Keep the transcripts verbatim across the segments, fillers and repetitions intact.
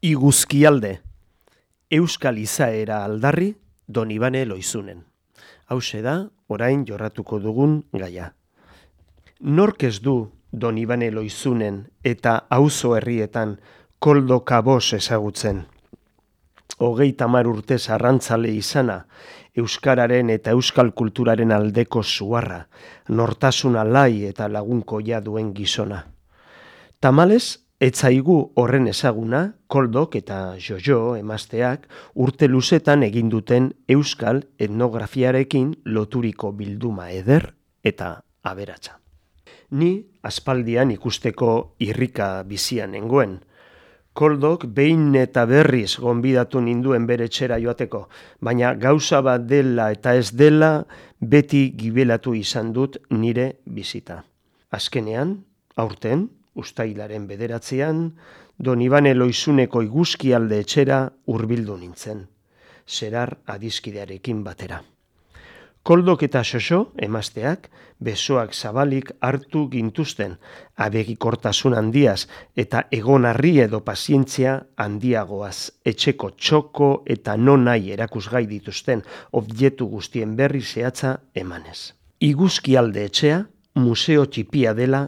Iguzkialde, Euskal izaera aldarri Donibane Loizunen. Hauxe da, orain jorratuko dugun gaia. Nork ez du Donibane Loizunen eta auzo herrietan Koldo Kabos ezagutzen? Hogeita hamar urtez arrantzale izana, euskararen eta euskal kulturaren aldeko zuharra, nortasuna lai eta lagunkoia duen gizona. Tamalez, etzaigu horren ezaguna, Koldok eta Jojo emazteak urte luzetan egin duten euskal etnografiarekin loturiko bilduma eder eta aberatsa. Ni aspaldian ikusteko irrika bizian nengoen. Koldok behin eta berriz gonbidatu ninduen bere etxera joateko, baina gauza bat dela eta ez dela beti gibelatu izan dut nire bizita. Azkenean, aurten, uztailaren bederatzean, Donibane Loizuneko iguzkialde etxera hurbildu nintzen, zerar adiskidearekin batera. Koldok eta Xoxo, emazteak, besoak zabalik hartu gintuzten, abegikortasun handiaz eta egonarri edo pazientzia handiagoaz, etxeko txoko eta nonai erakusgai dituzten objektu guztien berri zehatza emanez. Iguzkialde etxea museo txipia dela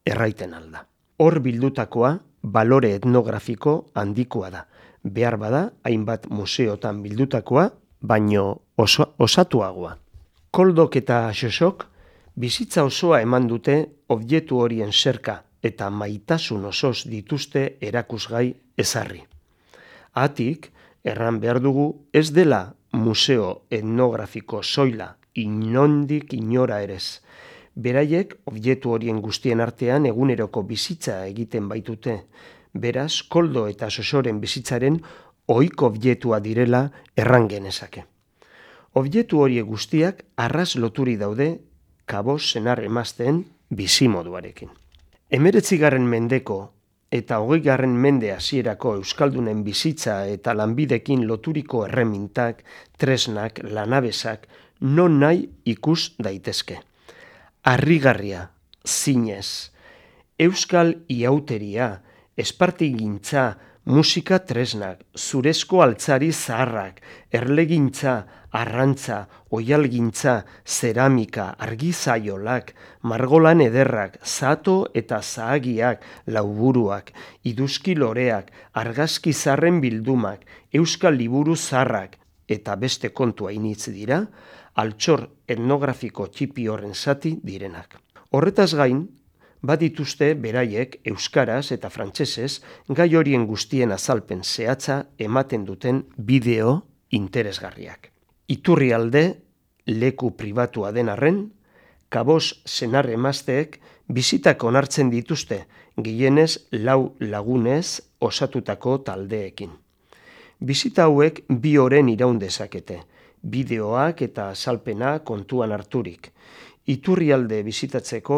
erraiten alda. Hor bildutakoa balore etnografiko handikoa da. Behar bada, hainbat museotan bildutakoa, baino oso, osatuagoa. Koldok eta Xoxok bizitza osoa eman dute objektu horien zerka eta maitasun osoz dituzte erakusgai ezarri. Hatik, erran behar dugu ez dela museo etnografiko soila inondik inora erez. Beraiek objektu horien guztien artean eguneroko bizitza egiten baitute. Beraz, Koldo eta Xoxoren bizitzaren ohiko objektua direla erran genezake. Objektu horiek guztiak arras loturi daude Kabos senar emazteen bizimoduarekin. Hemeretzigarren mendeko eta hogeigarren mende hasierako euskaldunen bizitza eta lanbidekin loturiko erremintak, tresnak, lanabesak, non nahi ikus daitezke. Harrigarria, zinez, euskal iauteria, espartigintza, musika tresnak, zurezko altzari zaharrak, erlegintza, arrantza, oialgintza, zeramika, argizaiolak, margolan ederrak, zato eta zahagiak, lauburuak, iduzki loreak, argazki zarren bildumak, euskal liburu zarrak, eta beste kontua initz dira, altxor etnografiko txipi horren zati direnak. Horretaz gain, badituzte beraiek euskaraz eta frantsesez gai horien guztien azalpen zehatza ematen duten bideo interesgarriak. Iturrialde, leku pribatua den arren, Kabos senar emazteek bizitak onartzen dituzte, gehienez lau lagunez osatutako taldeekin. Bizita hauek bi oren iraun dezakete, bideoak eta azalpena kontuan harturik. Iturrialde bizitatzeko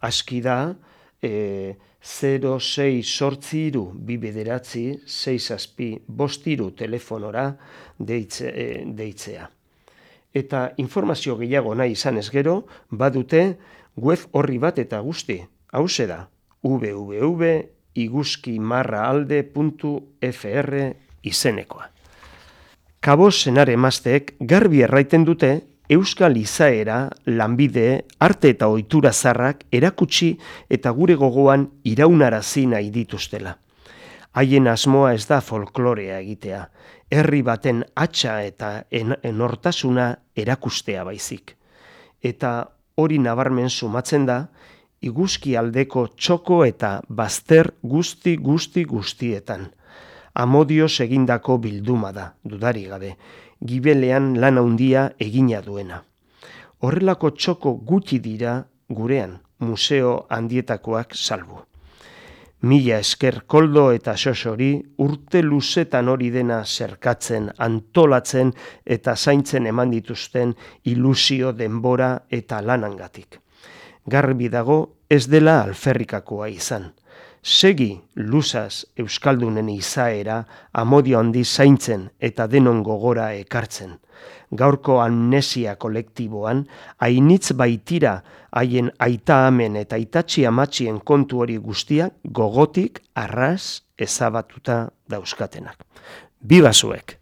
aski da e, zero sei zortzi hiru bi bederatzi sei zazpi bost hiru telefonora deitze, e, deitzea. Eta informazio gehiago nahi izan ez gero, badute web horri bat eta guzti. Hauxe da, w w w puntu iguzkimarraalde puntu f r izenekoa. Kabos senar emazteek garbi erraiten dute euskal izaera, lanbide, arte eta ohitura zarrak erakutsi eta gure gogoan iraunarazi nahi dituztela. Haien asmoa ez da folklorea egitea, herri baten hatsa eta en- enortasuna erakustea baizik. Eta hori nabarmen sumatzen da, iguzkialdeko txoko eta bazter guzti guzti guztietan. Amodioz egindako bilduma da, dudari gabe, gibelean lan handia egina duena. Horrelako txoko gutxi dira gurean, museo handietakoak salbu. Mila esker Koldo eta Xoxori urte luzetan hori dena zerkatzen, antolatzen eta zaintzen eman dituzten ilusio denbora eta lanangatik. Garbi dago ez dela alferrikakoa izan. Segi luzaz euskaldunen izaera amodio handi zaintzen eta denon gogora ekartzen. Gaurko amnesia kolektiboan, hainitz baitira haien aita amen eta aitatxi amatxien kontu hori guztia gogotik arras ezabatuta dauzkatenak. Biba zuek!